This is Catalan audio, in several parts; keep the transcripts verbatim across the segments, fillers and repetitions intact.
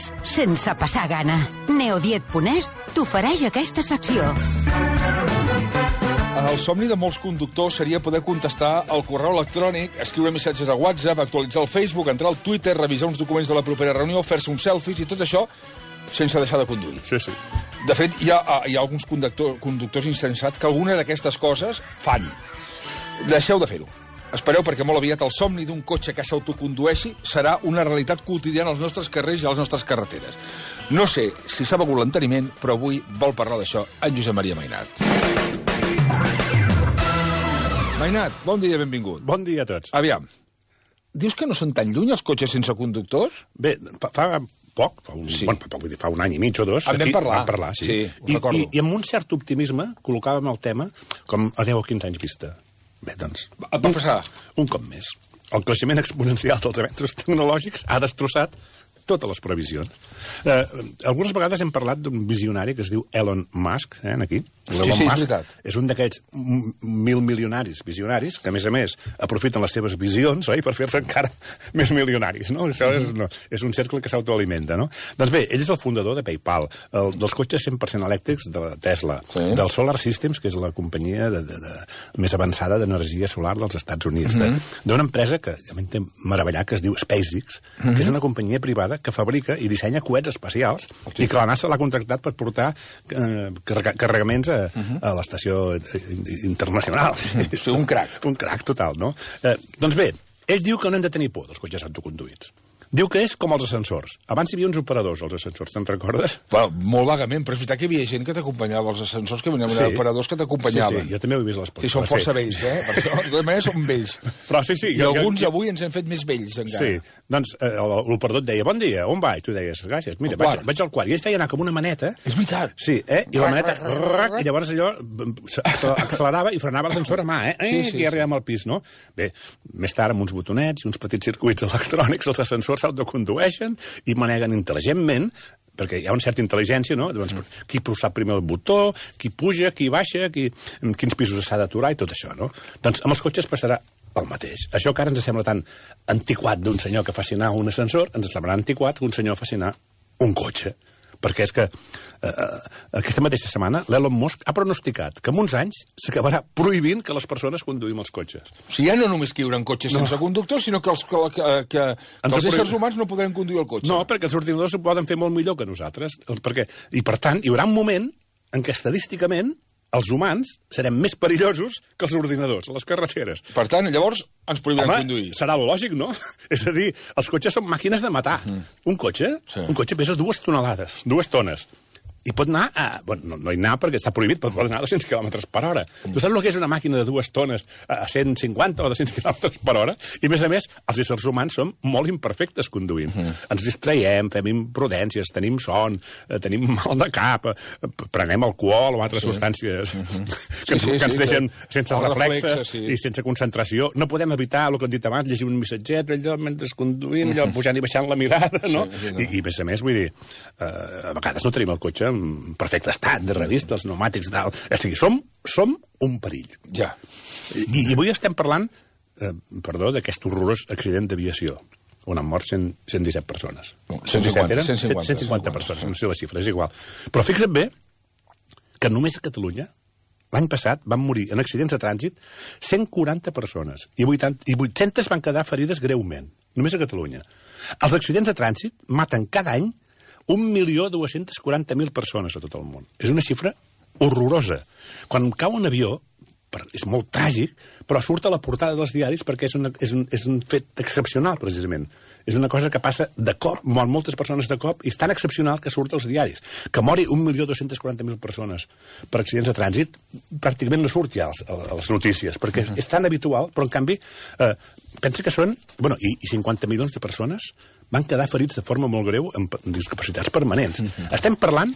dies sense passar gana. Neodiet punt es t'ofereix aquesta secció. El somni de molts conductors seria poder contestar al correu electrònic, escriure missatges a WhatsApp, actualitzar el Facebook, entrar al Twitter, revisar uns documents de la propera reunió, fer-se uns selfies i tot això sense deixar de conduir. Sí, sí. De fet, hi ha, hi ha alguns conductor, conductors insensats que alguna d'aquestes coses fan. Deixeu de fer-ho. Espereu, perquè molt aviat el somni d'un cotxe que s'autocondueixi serà una realitat quotidiana als nostres carrers i a les nostres carreteres. No sé si s'ha begut l'enteniment, però avui vol parlar d'això en Josep Maria Mainat. Mainat, bon dia, benvingut. Bon dia a tots. Aviam, dius que no són tan lluny els cotxes sense conductors? Bé, fa, fa poc, fa un, Sí. bueno, fa, poc, vull dir, fa un any i mig o dos... En vam aquí parlar. Vam parlar, sí. Sí, ho I, recordo. i, I amb un cert optimisme col·locàvem el tema com a deu o quinze anys vista. Bé, doncs... Va passar. Un cop més. El creixement exponencial dels avenços tecnològics ha destrossat totes les previsions. Eh, algunes vegades hem parlat d'un visionari que es diu Elon Musk, eh, aquí. L'Elon sí, és Musk veritat. és un d'aquests m- mil milionaris visionaris que, a més a més, aprofiten les seves visions, oi?, per fer-se encara més milionaris, no? Això és, no, és un cercle que s'autoalimenta, no? Doncs bé, ell és el fundador de PayPal, el, dels cotxes cent per cent elèctrics de Tesla, Sí. del Solar Systems, que és la companyia de, de, de, més avançada d'energia solar dels Estats Units, mm-hmm. d'una empresa que ja m'he meravellat, que es diu SpaceX, mm-hmm. que és una companyia privada que fabrica i dissenya coets espacials i que la NASA l'ha contractat per portar eh, carrega, carregaments a, uh-huh. a l'estació internacional. Sí, un crac. Un crac total, no? Eh, doncs bé, ell diu que no hem de tenir por dels cotxes autoconduïts. Diu que és com els ascensors. Abans hi havia uns operadors, els ascensors, te'n recordes? Bueno, molt vagament, però és veritat que hi havia gent que t'acompanyava als ascensors, que venien sí. operadors que t'acompanyaven. Sí, sí, jo també ho he vist a les Sí, són força vells, eh? Per això, de tota manera, són vells. Però sí, sí. I jo, alguns jo... avui ens hem fet més vells, encara. Sí, doncs eh, l'operador et deia, bon dia, on vaig? Tu deies, gràcies, mira, vaig, vaig al quart. I ell feia anar com una maneta. És veritat. Sí, eh? I la maneta, rac, i llavors allò accelerava i frenava l'ascensor a mà, eh? Sí, Eh, sí, que ja arribem al pis, no? Bé, més tard, amb uns botonets i uns petits circuits electrònics, els ascensors s'autocondueixen i maneguen intel·ligentment, perquè hi ha una certa intel·ligència, no? Llavors, qui sap primer el botó, qui puja, qui baixa, qui, en quins pisos s'ha d'aturar i tot això, no? Doncs amb els cotxes passarà el mateix. Això que ara ens sembla tan antiquat d'un senyor que faci anar un ascensor, ens semblarà antiquat que un senyor faci anar un cotxe. Perquè és que eh, aquesta mateixa setmana l'Elon Musk ha pronosticat que en uns anys s'acabarà prohibint que les persones conduïm els cotxes. O sigui, ja no només que hi haurà cotxes no. sense conductor, sinó que els, que, que, que, que els éssers humans no podrem conduir el cotxe. No, perquè els ordinadors ho poden fer molt millor que nosaltres. Perquè, I, per tant, hi haurà un moment en què estadísticament els humans serem més perillosos que els ordinadors a les carreteres. Per tant, llavors ens prohibiran Home, conduir. serà lògic, no? És a dir, els cotxes són màquines de matar. Mm. Un cotxe, sí. un cotxe pesa dues tonelades, dues tones. I pot anar a... Bueno, no, no hi anar perquè està prohibit, però pot anar a dos-cents quilòmetres per hora. Mm. Tu saps el que és una màquina de dues tones a cent cinquanta o dos-cents quilòmetres per hora? I, a més a més, els éssers humans som molt imperfectes conduint. Mm. Ens distraiem, fem imprudències, tenim son, eh, tenim mal de cap, eh, prenem alcohol o altres sí. substàncies mm-hmm. que, sí, sí, que ens sí, deixen sí. sense reflexes reflexe, sí. i sense concentració. No podem evitar, el que hem dit abans, llegir un missatget, allò mentre conduïm, allò pujant i baixant la mirada, no? Sí, sí, no. I, I, a més a més, vull dir, eh, a vegades no tenim el cotxe en perfecte estat, de revista, els pneumàtics, tal. O sigui, som, som un perill. Ja. I, i avui estem parlant, eh, perdó, d'aquest horrorós accident d'aviació, on han mort cent, cent disset persones. No, cent cinquanta, cent cinquanta, cent cinquanta persones, no sé la xifra, és igual. Però fixa't bé que només a Catalunya, l'any passat, van morir en accidents de trànsit cent quaranta persones i, vuitanta, i vuit-centes van quedar ferides greument, només a Catalunya. Els accidents de trànsit maten cada any un milió dos-cents quaranta mil persones a tot el món. És una xifra horrorosa. Quan cau un avió, és molt tràgic, però surt a la portada dels diaris perquè és, una, és, un, és un fet excepcional, precisament. És una cosa que passa de cop, moren moltes persones de cop, i és tan excepcional que surt als diaris. Que mori un milió dos-cents quaranta mil persones per accidents de trànsit, pràcticament no surt ja a les notícies, perquè és tan habitual, però en canvi, eh, pensa que són... Bueno, i, i cinquanta milions de persones van quedar ferits de forma molt greu amb discapacitats permanents. Mm-hmm. Estem parlant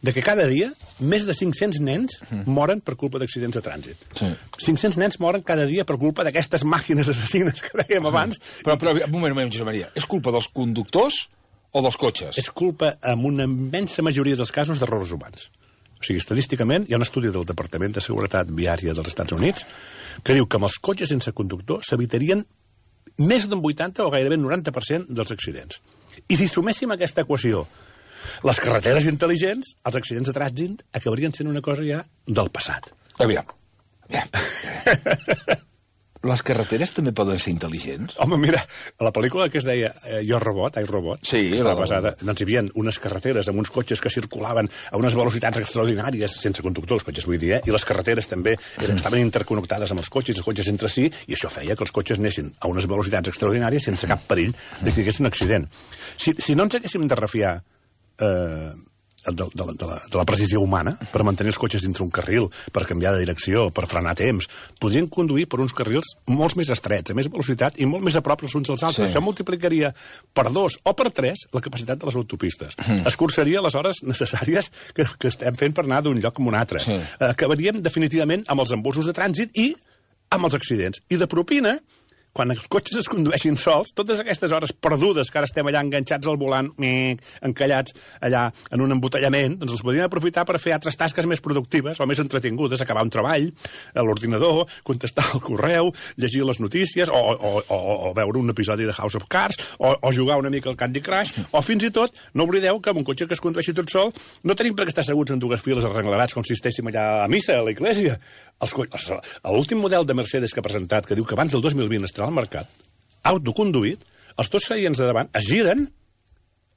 de que cada dia més de cinc-cents nens mm-hmm. moren per culpa d'accidents de trànsit. Sí. cinc-cents nens moren cada dia per culpa d'aquestes màquines assassines que dèiem sí. abans. Però, però, un moment, un moment, Josep Maria. És culpa dels conductors o dels cotxes? És culpa, en una immensa majoria dels casos, d'errors humans. O sigui, estadísticament, hi ha un estudi del Departament de Seguretat Viària dels Estats Units que diu que amb els cotxes sense conductor s'evitarien més d'un vuitanta o gairebé noranta per cent dels accidents. I si suméssim aquesta equació les carreteres intel·ligents, els accidents de trànsit acabarien sent una cosa ja del passat. Aviam. Aviam. Les carreteres també poden ser intel·ligents? Home, mira, a la pel·lícula que es deia eh, Jo, Robot, I, Robot, sí, que estava basada, doncs hi havia unes carreteres amb uns cotxes que circulaven a unes velocitats extraordinàries, sense conductor, els cotxes, vull dir, eh? I les carreteres també eren, estaven interconnectades amb els cotxes, els cotxes entre si, i això feia que els cotxes anessin a unes velocitats extraordinàries sense cap perill de que hi hagués un accident. Si, si no ens haguéssim de refiar eh, de, de, de, la, de la precisió humana per mantenir els cotxes dintre un carril, per canviar de direcció, per frenar a temps, podrien conduir per uns carrils molt més estrets, a més velocitat i molt més a prop els uns als altres. Sí. Això multiplicaria per dos o per tres la capacitat de les autopistes. Mm. Escurçaria les hores necessàries que, que estem fent per anar d'un lloc a un altre. Sí. Acabaríem definitivament amb els embussos de trànsit i amb els accidents. I de propina, quan els cotxes es condueixin sols, totes aquestes hores perdudes que ara estem allà enganxats al volant, mic, encallats allà en un embotellament, doncs els podríem aprofitar per fer altres tasques més productives o més entretingudes, acabar un treball, a l'ordinador, contestar el correu, llegir les notícies, o, o, o, o veure un episodi de House of Cards, o, o jugar una mica al Candy Crush, o fins i tot, no oblideu que amb un cotxe que es condueixi tot sol no tenim per què estar asseguts en dues files arrenglerats com si estéssim allà a missa, a l'església. L'últim model de Mercedes que ha presentat, que diu que abans del dos mil vint estarà al mercat, autoconduït, els dos seients de davant es giren,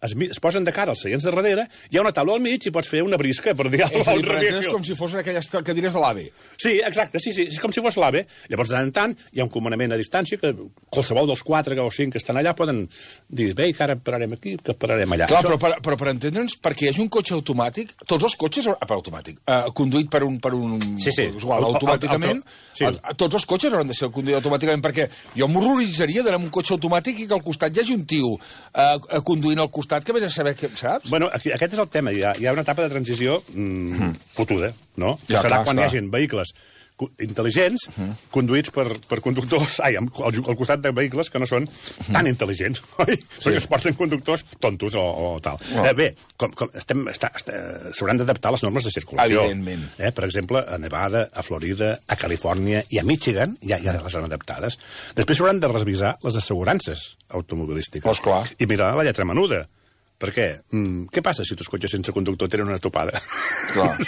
es, es posen de cara als seients de darrere, hi ha una taula al mig i pots fer una brisca, per dir alguna cosa. És com si fossin aquelles cadires de l'AVE. Sí, exacte, sí, sí, és com si fos l'AVE. Llavors, de tant en tant, hi ha un comanament a distància que qualsevol dels quatre o cinc que estan allà poden dir, bé, que ara pararem aquí, que pararem allà. Clar, Això... però, per, però per entendre'ns, perquè hi hagi un cotxe automàtic, tots els cotxes, ah, per automàtic, uh, conduït per un... Per un sí, sí. Igual, automàticament, el, el, el, sí. Tots els cotxes hauran de ser conduïts automàticament, perquè jo m'horroritzaria d'anar amb un cotxe automàtic i que al costat hi hagi un tio uh, conduint al costat que vés a saber què, saps? Bueno, aquí, aquest és el tema. Hi ha, hi ha una etapa de transició mm, mm. fotuda, no? Ja, serà clar, quan clar. hi hagi vehicles intel·ligents, uh -huh. conduïts per, per conductors, ai, al, al costat de vehicles que no són uh -huh. tan intel·ligents, oi? Sí. Perquè es porten conductors tontos o, o tal. No. Eh, bé, com, com estem, està, està, s'hauran d'adaptar les normes de circulació. Evidentment. Eh, per exemple, a Nevada, a Florida, a Califòrnia i a Michigan ja, ja les han adaptades. Després s'hauran de revisar les assegurances automobilístiques. Pues clar. I mirar la lletra menuda. Per què? Mm, què passa si tus cotxes sense conductor tenen una topada?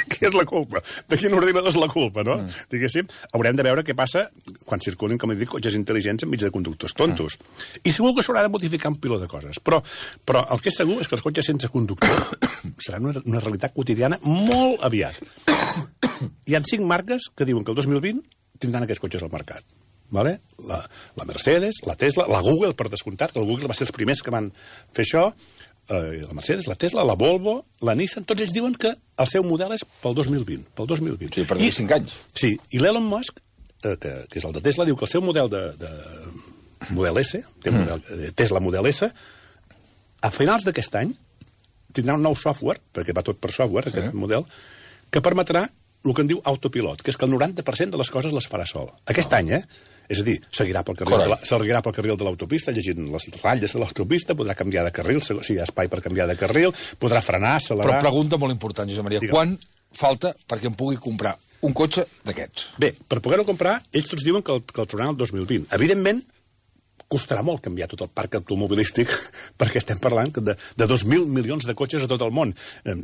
Què és la culpa? De quin ordinador és la culpa, no? Mm. Diguéssim, haurem de veure què passa quan circulin, com he dit, cotxes intel·ligents enmig de conductors tontos. Mm. I segur que s'haurà de modificar un piló de coses. Però, però el que és segur és que els cotxes sense conductor seran una, una realitat quotidiana molt aviat. Hi ha cinc marques que diuen que el dos mil vint tindran aquests cotxes al mercat. Vale? La, la Mercedes, la Tesla, la Google, per descomptat, que el Google va ser els primers que van fer això, Uh, la Mercedes, la Tesla, la Volvo, la Nissan, tots ells diuen que el seu model és pel dos mil vint. Pel dos mil vint. Sí, per cinc anys. Sí, i l'Elon Musk, uh, que, que és el de Tesla, diu que el seu model de, de Model S, té mm. model, eh, Tesla Model S, a finals d'aquest any tindrà un nou software, perquè va tot per software, aquest sí. model, que permetrà el que en diu autopilot, que és que el noranta per cent de les coses les farà sol. Aquest oh. any, eh? És a dir, seguirà pel carril, de la, seguirà pel carril de l'autopista, llegint les ratlles de l'autopista, podrà canviar de carril, si hi ha espai per canviar de carril, podrà frenar, accelerar... Però pregunta molt important, Josep Maria, Digue'm. Quan falta perquè em pugui comprar un cotxe d'aquests? Bé, per poder-ho comprar, ells tots diuen que el, que el trobaran el dos mil vint. Evidentment, costarà molt canviar tot el parc automobilístic perquè estem parlant de, de dos mil milions de cotxes a tot el món. Eh,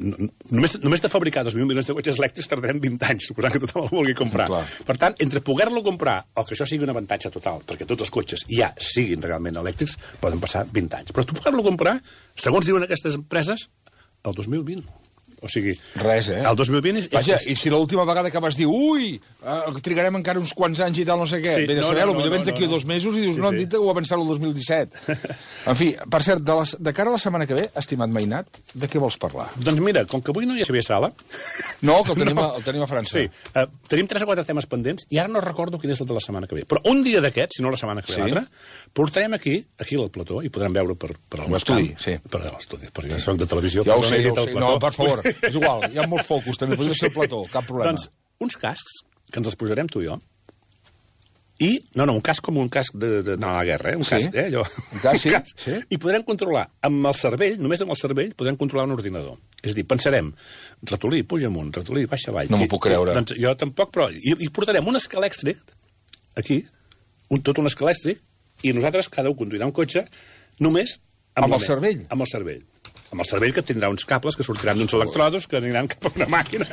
només, només de fabricar dos mil milions de cotxes elèctrics tardarem vint anys, suposant que tothom el vulgui comprar. Clar. Per tant, entre poder-lo comprar o que això sigui un avantatge total, perquè tots els cotxes ja siguin realment elèctrics, poden passar vint anys. Però tu poder-lo comprar, segons diuen aquestes empreses, el dos mil vint. O sigui... Res, eh? El dos mil vint és... Vaja, i si l'última vegada que vas dir ui, uh, trigarem encara uns quants anys i tal, no sé què, sí, bé de no, saber-ho, no, no, potser vens d'aquí no, no. dos mesos i dius, sí, no, han dit que ho avançat el dos mil disset. En fi, per cert, de, les, de cara a la setmana que ve, estimat Mainat, de què vols parlar? Doncs mira, com que avui no hi ha Xavier Sala... No, que el tenim, no. a, el tenim a França. Sí, uh, tenim tres o quatre temes pendents i ara no recordo quin és el de la setmana que ve. Però un dia d'aquests, si no la setmana que ve sí. l'altra, portarem aquí, aquí al plató, i podrem veure per, per el l'estudi, sí. Per l'estudi, perquè jo soc de televisió. Ja ho sé, ja ho sé. No, per favor, és igual, hi ha molts focus, també podria ser el plató, cap problema. Doncs uns cascs, que ens els posarem tu i jo, i, no, no, un casc com un casc d'anar de, a la guerra, eh? Un sí. casc, eh, allò. Un casc, sí. Un casc. sí. I podrem controlar, amb el cervell, només amb el cervell, podrem controlar un ordinador. És a dir, pensarem, ratolí, puja amunt, ratolí, baixa avall. No m'ho puc creure. Doncs jo tampoc, però... I, i portarem un escalèxtric, aquí, un, tot un escalèxtric, i nosaltres, cada un conduirà un cotxe, només Amb la el ment. cervell? Amb el cervell. Amb el cervell, que tindrà uns cables que sortiran d'uns electrodos que aniran cap a una màquina.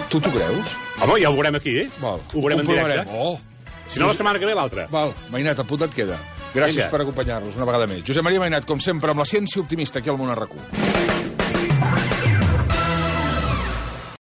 Tu t'ho creus? Home, ja ho veurem aquí, eh? Val. Ho veurem en Comprovarem. directe. Oh. Si no, la setmana que ve, l'altra. Val, Mainat, apunta't queda. Gràcies Vinga. per acompanyar-nos una vegada més. Josep Maria Mainat, com sempre, amb la ciència optimista aquí al Món a RAC u.